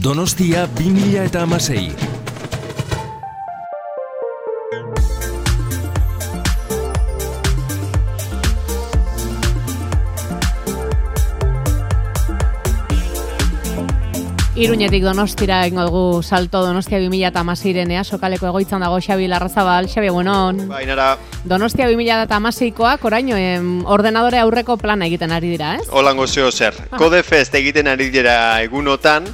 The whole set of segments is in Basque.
Donostia 2016. Iruñetik Donostira egingo dugu salto Donostia 2016 sokaleko egoitzan dago Xabi Larrazabal. Xabi, buenon. Bainara. Donostia 2016koak oraino ordenadore aurreko plana egiten ari dira, ez? Holango zeo zer. Codefest egiten ari dira egunotan,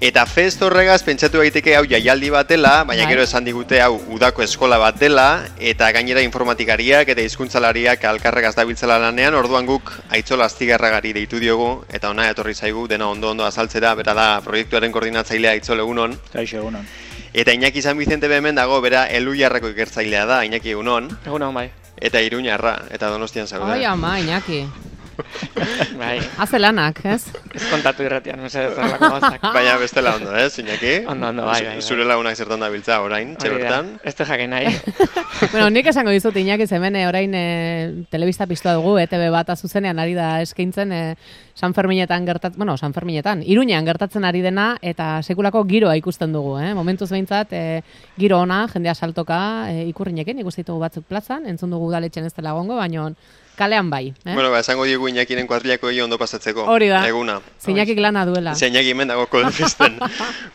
eta fest horregaz pentsatu daiteke hau jaialdi bat dela, baina gero esan digute hau udako eskola bat dela, eta gainera informatikariak eta hizkuntzalariak alkarregaz dabiltzela lanean, orduan guk Aitzol Astigarragari deitu diogu, eta ona etorri zaigu, dena ondo azaltzera, bera da proiektuaren koordinatzailea Aitzol, egunon. Kaixo, egunon. Eta Iñaki San Vicente hemen dago, bera Elujarreko ikertzailea da, Iñaki, egunon. Egunon, bai. Eta Iruñarra, eta Donostian zaude. Ai, ama, Iñaki. Bai. Haze lanak, ez? Ez kontatu irratian, mesedez horrelako gauzak. Baina bestela ondo, Iñaki? Ondo, bai. Zure lagunak zertan dabiltza orain, txebertan? Ez te jakin nahi. Bueno, nik esango dizut Iñaki hemen orain telebista piztua dugu, ETV bat zuzenean ari da eskaintzen San Ferminetan Iruñean gertatzen ari dena eta sekulako giroa ikusten dugu, Momentuz behintzat giro ona, jendea saltoka ikurrinekin, ikusten ditugu batzuk plazan, entzun dugu udaletxen ez dela egongo, baina kalean bai. Bueno, esango diegu Iñakiren kuadrilako ondo pasatzeko. Hori da. Eguna. Iñakik lana duela. Iñaki hemen dago Codefesten.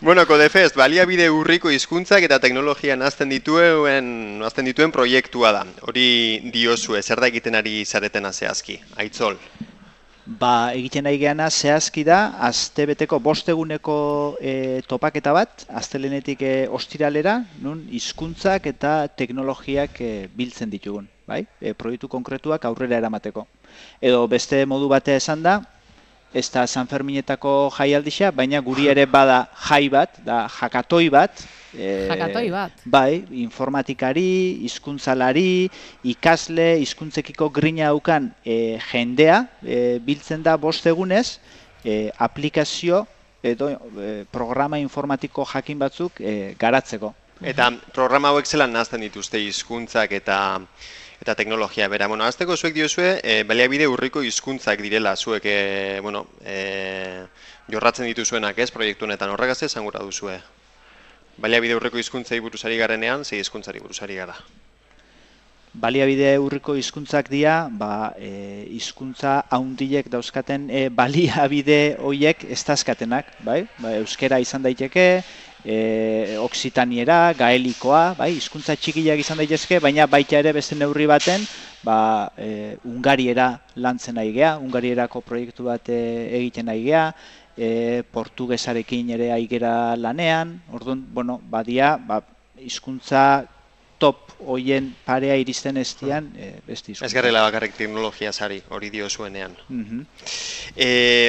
Bueno, Codefest, baliabide urriko hizkuntzak eta teknologian azten dituen proiektua da. Hori diozue, zer da egiten ari zaretena zehazki? Aitzol. Egiten ari geana zehazki da, astebeteko 5 eguneko topaketa bat, astelenetik ostiralera, nun hizkuntzak eta teknologiak biltzen ditugun. Bai? Proiektu konkretuak aurrera eramateko. Edo beste modu batea esan da, ez da San Ferminetako jaialdixa, baina guri ere bada jai bat, da jakatoi bat. Jakatoi bat? Bai, informatikari, hizkuntzalari, ikasle, hizkuntzekiko grina daukan jendea, biltzen da 5 egunez, aplikazio edo programa informatiko jakin batzuk garatzeko. Eta programa hauek zelan nazten dituzte hizkuntzak eta teknologia bera. Bueno, azteko zuek diozue, baliabide urriko hizkuntzak direla zuek, jorratzen dituzuenak ez, proiektu honetan horregaz esan gura duzue. Baliabide urriko hizkuntzai buruzari garenean, zei hizkuntzari buruzari gara. Baliabide urriko hizkuntzak dira, hizkuntza haundilek dauzkaten baliabide horiek ez dazkatenak, bai? Euskera izan daiteke, oksitaniera, gaelikoa, bai, hizkuntza txikiak izan daitezke, baina baita ere beste neurri baten, Ungariera lantzen nahi gea, Ungarierako proiektu bat egiten nahi gea, portugesarekin ere aigera lanean, orduan, bueno, badia, hizkuntza top hoien parea iristen estian beste hizkuntza. Ez garela bakarrik teknologia sari, hori dio zuenean.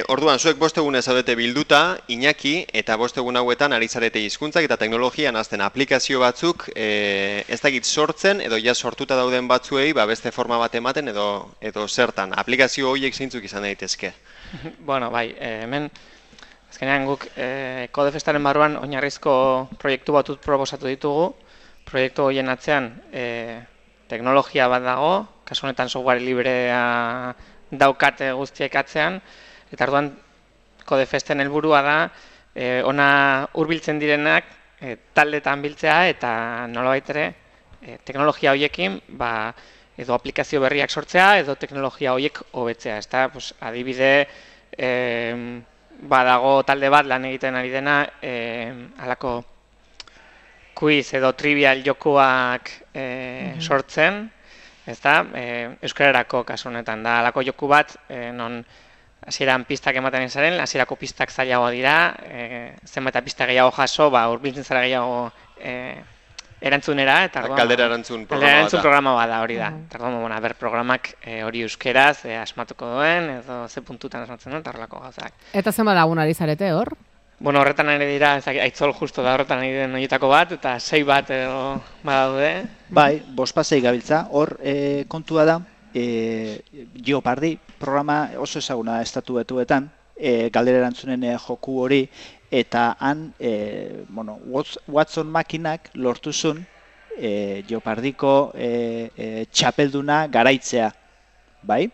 Orduan, zuek 5 egunez zaudete bilduta, Iñaki, eta 5 egun hauetan ari zarete hizkuntzak eta teknologian azten aplikazio batzuk, ez dakit sortzen, edo ja sortuta dauden batzuei, beste forma bat ematen edo zertan. Aplikazio horiek zeintzuk izan daitezke? Bueno, bai, hemen, azkenean guk Codefestaren barruan oinarrizko proiektu batut proposatu ditugu. Proiektu horien atzean teknologia bat dago, kasu honetan software librea daukate guztiek atzean, eta orduan Codefesten helburua da ona hurbiltzen direnak taldetan biltzea eta nolabait ere teknologia horiekin edo aplikazio berriak sortzea edo teknologia horiek hobetzea. Adibide badago talde bat lan egiten ari dena halako quiz edo trivial jokuak sortzen, euskararako kasu honetan da halako joku bat, non hasieran pistak ematen zaren, hasierako pistak zailagoa dira, zenbait pista gehiago jaso, hurbiltzen zara gehiago erantzunera, eta galdera erantzun programa bat da hori da. Programak hori euskeraz asmatuko duen, edo ze puntutan asmatzen duen, eta horrelako gauzak. Eta zenbat lagun ari zarete hor? Bueno, horretan ere dira, Aitzol justo da horretan ari den horietako bat, eta 6 bat edo badaude. Bai, 5 gabiltza, hor kontua da, Jeopardy programa oso ezaguna Estatu Batuetan, galdera erantzunen joku hori, eta han, Watson makinak lortu zuen Jeopardyko txapelduna garaitzea, bai?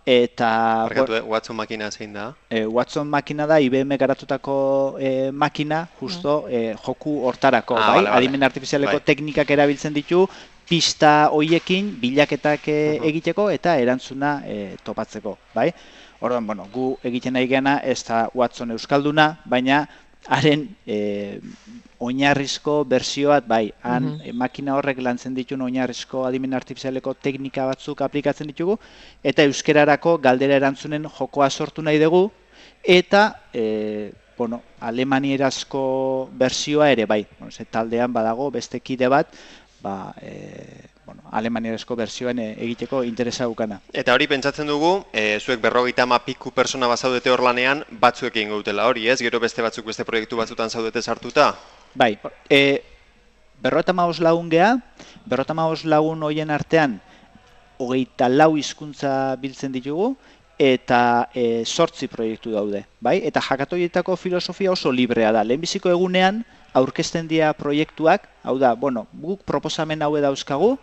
eta Barkatu, Watson makina zein da? Watson makina da IBM garatutako makina, justo joku hortarako, bai? Vale, vale. Adimen artifizialeko Bai. teknikak erabiltzen ditu, pista hoiekin bilaketak egiteko eta erantzuna topatzeko, bai? Orduan, bueno, gu egiten nahi geana ez da Watson euskalduna, baina haren oinarrizko bersio bat, bai, han makina horrek lantzen ditun oinarrizko adimen artifizialeko teknika batzuk aplikatzen ditugu, eta euskerarako galdera erantzunen jokoa sortu nahi dugu, eta, bueno, alemanierazko bersioa ere, bai, bueno, ze taldean badago beste kide bat, ba, bueno, alemanierazko bersioan egiteko interesa gukana. Eta hori pentsatzen dugu, zuek 50 piku persona bazaudete hor lanean, batzuek egingo dutela hori, ez? Gero beste batzuk beste proiektu batzutan zaudete sartuta? Bai, 55 lagun gea, 55 lagun hoien artean 24 hizkuntza biltzen ditugu, eta 8 proiektu daude, bai? Eta hakatoietako filosofia oso librea da. Lehenbiziko egunean aurkezten dira proiektuak, hau da, bueno, guk proposamen haue dauzkagu,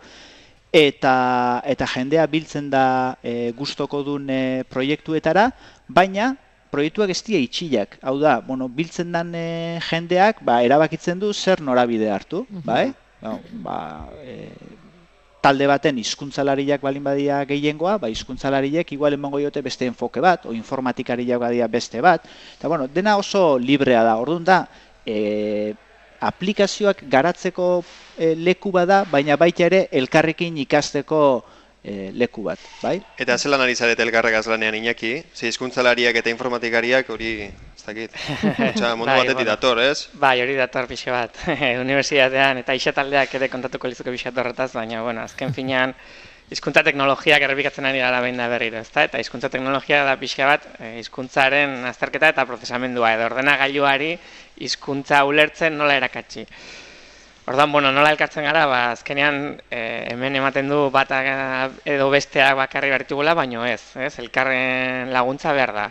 eta jendea biltzen da gustoko duen proiektuetara, baina proiektuak ez dira itxilak. Hau da, bueno, biltzen den jendeak erabakitzen du zer norabide hartu, bai? Talde baten hizkuntzalariak balin badia gehiengoa, hizkuntzalariek igual emango diote beste enfoke bat, o informatikariak badia beste bat, eta bueno, dena oso librea da. Orduan da, aplikazioak garatzeko leku bada, baina baita ere elkarrekin ikasteko leku bat, bai? Eta zelan ari zarete elkarregaz lanean Iñaki? Ze hizkuntzalariak eta informatikariak hori, ez dakit, mundu batetik dator, ez? Bai, hori dator pixe bat, unibertsitatean eta isetaldeak ere kontatuko lizuke pixe horretaz, baina, bueno, azken finean, hizkuntza teknologiak errepikatzen ari gara behin da berriro, ezta? Eta hizkuntza teknologia da pixka bat hizkuntzaren azterketa eta prozesamendua, edo ordenagailuari hizkuntza ulertzen nola erakatsi. Orduan, bueno, nola elkartzen gara, azkenean hemen ematen du bat edo besteak bakarri bertugula, baino ez, elkarren laguntza behar da.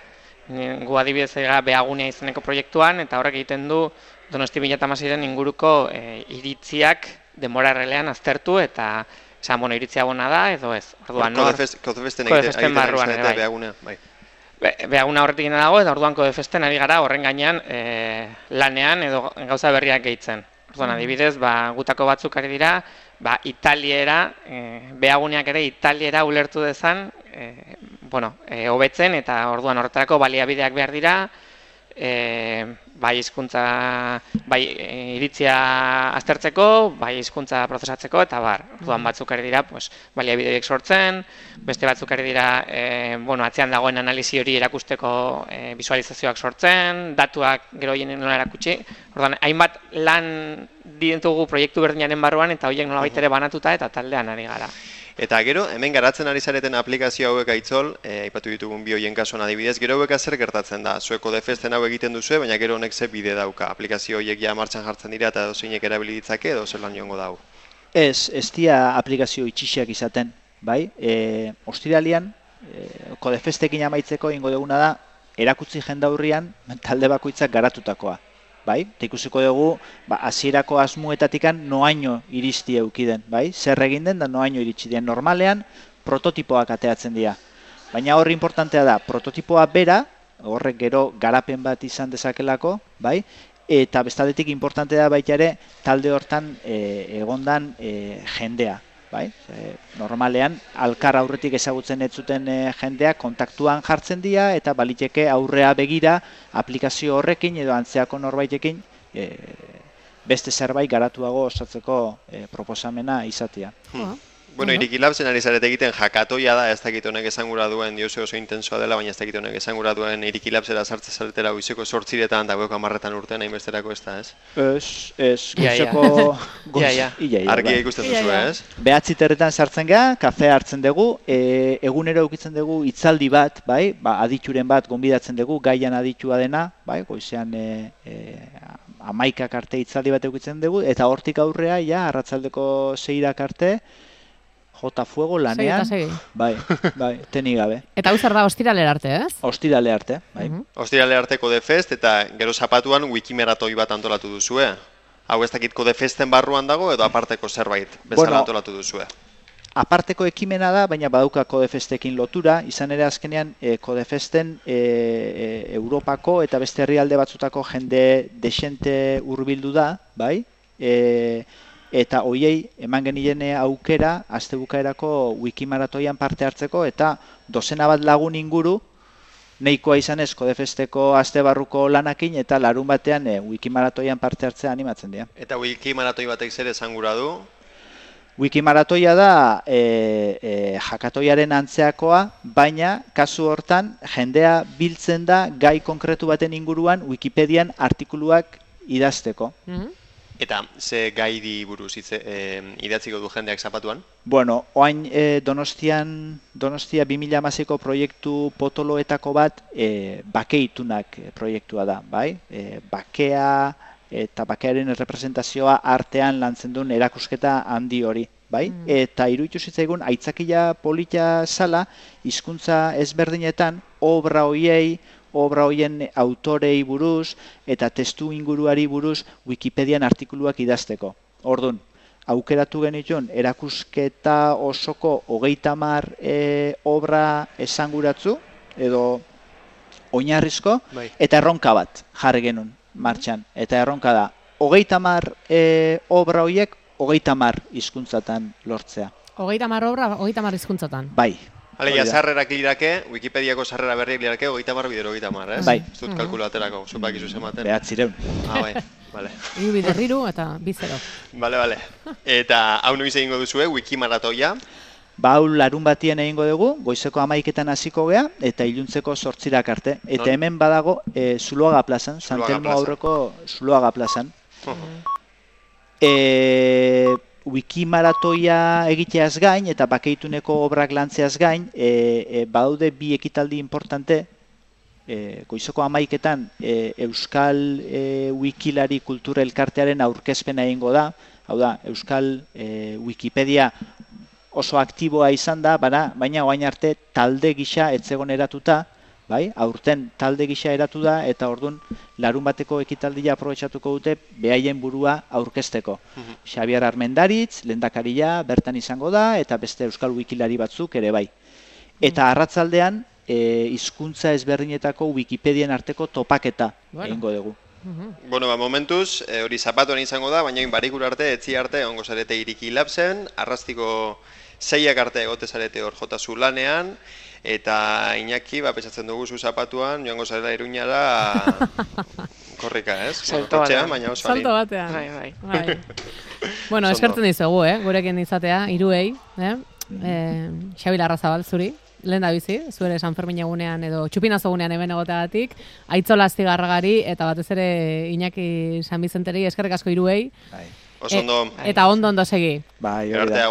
Gu adibidez ega Beagunea izeneko proiektuan, eta horrek egiten du Donosti 2016-en inguruko iritziak denbora errelean aztertu, eta esan, bueno, iritzia bona da, edo ez. Orduan, Kodefesten barruan ere, Beaguna, bai. Beaguna horretik dago, eta orduan Kodefesten ari gara horren gainean lanean edo gauza berriak gehitzen. Orduan, adibidez, gutako batzuk ari dira, italiera, Beaguneak ere italiera ulertu dezan, hobetzen, eta orduan horretarako baliabideak behar dira, bai hizkuntza, bai iritzia aztertzeko, bai hizkuntza prozesatzeko, eta bar. Orduan batzuk ari dira, baliabideak sortzen, beste batzuk ari dira, atzean dagoen analisi hori erakusteko visualizazioak sortzen, datuak gero hien nola erakutsi. Orduan, hainbat lan ditugu proiektu berdinaren barruan, eta horiek nolabait ere banatuta eta taldean ari gara. Eta gero, hemen garatzen ari zareten aplikazio hauek aitzol, aipatu ditugun bi hoien kasuan adibidez, gero hauek zer gertatzen da? Zuek Kodefesten hau egiten duzue, baina gero honek ze bide dauka? Aplikazio horiek ja martxan jartzen dira eta dozeinek erabili ditzake edo zer lan joango dau? Ez dira aplikazio itxixiak izaten, bai? Ostiralian, Kodefestekin amaitzeko ingo duguna da, erakutsi jendaurrian talde bakoitzak garatutakoa. Bai, eta ikusiko dugu, hasierako asmuetatikan noaino iristi eukiden, bai? Zer egin den da noaino iritsi den. Normalean, prototipoak ateatzen dira. Baina horri importantea da, prototipoa bera, horrek gero garapen bat izan dezakelako, bai? Eta bestaldetik importantea da baita ere, talde hortan egondan jendea, bai? Normalean, alkar aurretik ezagutzen ez zuten jendeak kontaktuan jartzen dira eta baliteke aurrea begira aplikazio horrekin edo antzeako norbaitekin beste zerbait garatuago osatzeko proposamena izatea. Bueno, Irikilabsen ari zarete egiten jakatoia da, ez dakit honek esangura duen, diozu oso intensoa dela, baina ez dakit honek esangura duen Irikilabsera sartze zaretela goizeko 8etan eta goiko 10etan urtean hainbesterako ez da, ez? Ez, goizeko... Argia ikusten duzu, ez? 9:00 sartzen gara, kafea hartzen dugu, egunero eukitzen dugu hitzaldi bat, bai? Adituren bat gonbidatzen dugu, gaian aditua dena, bai? Goizean 11 arte hitzaldi bat eukitzen dugu, eta hortik aurrea, arratsaldeko 6 arte, jota fuego lanean, bai, tenik gabe. Eta hau zer da ostiralera arte, ez? Ostirale arte, bai. Ostirale arte Kodefest eta gero zapatuan wikimeratoi bat antolatu duzue. Hau ez dakit Kodefesten barruan dago edo aparteko zerbait bezala antolatu duzue? aparteko ekimena da, baina badauka Codefestekin lotura, izan ere azkenean Codefesten Europako eta beste herrialde batzutako jende desente hurbildu da, bai? Eta hoiei eman genien aukera astebukaerako Wikimaratoian parte hartzeko eta dozena bat lagun inguru nahikoa izanez Codefesteko astebarruko lanakin eta larun batean Wikimaratoian parte hartzea animatzen dira. Eta Wikimaratoi batek zer esan gura du? Wikimaratoia da jakatoiaren antzeakoa, baina kasu hortan jendea biltzen da gai konkretu baten inguruan Wikipedian artikuluak idazteko. Eta ze gaidi buruz idatziko du jendeak zapatuan? Bueno, oain Donostia 2016ko proiektu potoloetako bat bakeitunak proiektua da, bai? Bakea eta bakearen representazioa artean lantzen duen erakusketa handi hori, bai? Eta iruditu zitzaigun aitzakia polita zala hizkuntza ezberdinetan obra hoien autorei buruz eta testu inguruari buruz Wikipedian artikuluak idazteko. Ordun, aukeratu genituen erakusketa osoko 30 obra esanguratzu edo oinarrizko eta erronka bat jarri genuen martxan. Eta erronka da, 30 obra horiek 30 hizkuntzatan lortzea. 30 obra, 30 hizkuntzatan. Bai. Alegia, sarrerak lirake, Wikipediako sarrera berriak lirake, 30 bidero 30, ez? Bai. Ez dut kalkulaterako, zupak izu zematen. Behatzireun. Bai, bale. Iru biderriru eta bizero. Bale. Eta hau noiz egingo duzue, Wikimaratoia? Hau larun batien egingo dugu, goizeko 11etan hasiko gea, eta iluntzeko 8 arte. Eta hemen badago Zuloaga plazan, Santelmo aurreko Zuloaga plazan. Wikimaratoia egiteaz gain eta bakeituneko obrak lantzeaz gain, badaude bi ekitaldi importante, goizeko 11etan Euskal Wikilari Kultura Elkartearen aurkezpena egingo da, hau da, Euskal Wikipedia oso aktiboa izan da, baina orain arte talde gisa etzegon eratuta, bai? Aurten talde gisa eratu da eta ordun larun bateko ekitaldia aprobetxatuko dute behaien burua aurkezteko. Xabier Armendaritz, lehendakaria bertan izango da eta beste Euskal Wikilari batzuk ere bai. Eta arratzaldean hizkuntza ezberdinetako Wikipedian arteko topaketa egingo dugu. Bueno, momentuz, hori zapatuan izango da, baina barikura arte, etzi arte, ongo zarete Iriki Labsen, arrastiko 6 arte egote zarete hor jotazu lanean, eta Iñaki, pentsatzen dugu zu zapatuan, joango zarela Iruñara korrika, ez? Salto batean. Bai. Bueno, eskertzen dizugu, gurekin izatea, hiruei, Xabi Larrazabal zuri, lehen da bizi, zuere San Fermin egunean edo txupinazo egunean hemen egoteagatik, Aitzola Astigarragari eta batez ere Iñaki San Bizenteri eskerrik asko hiruei. Oso ondo. Eta ondo segi. Bai, hori da.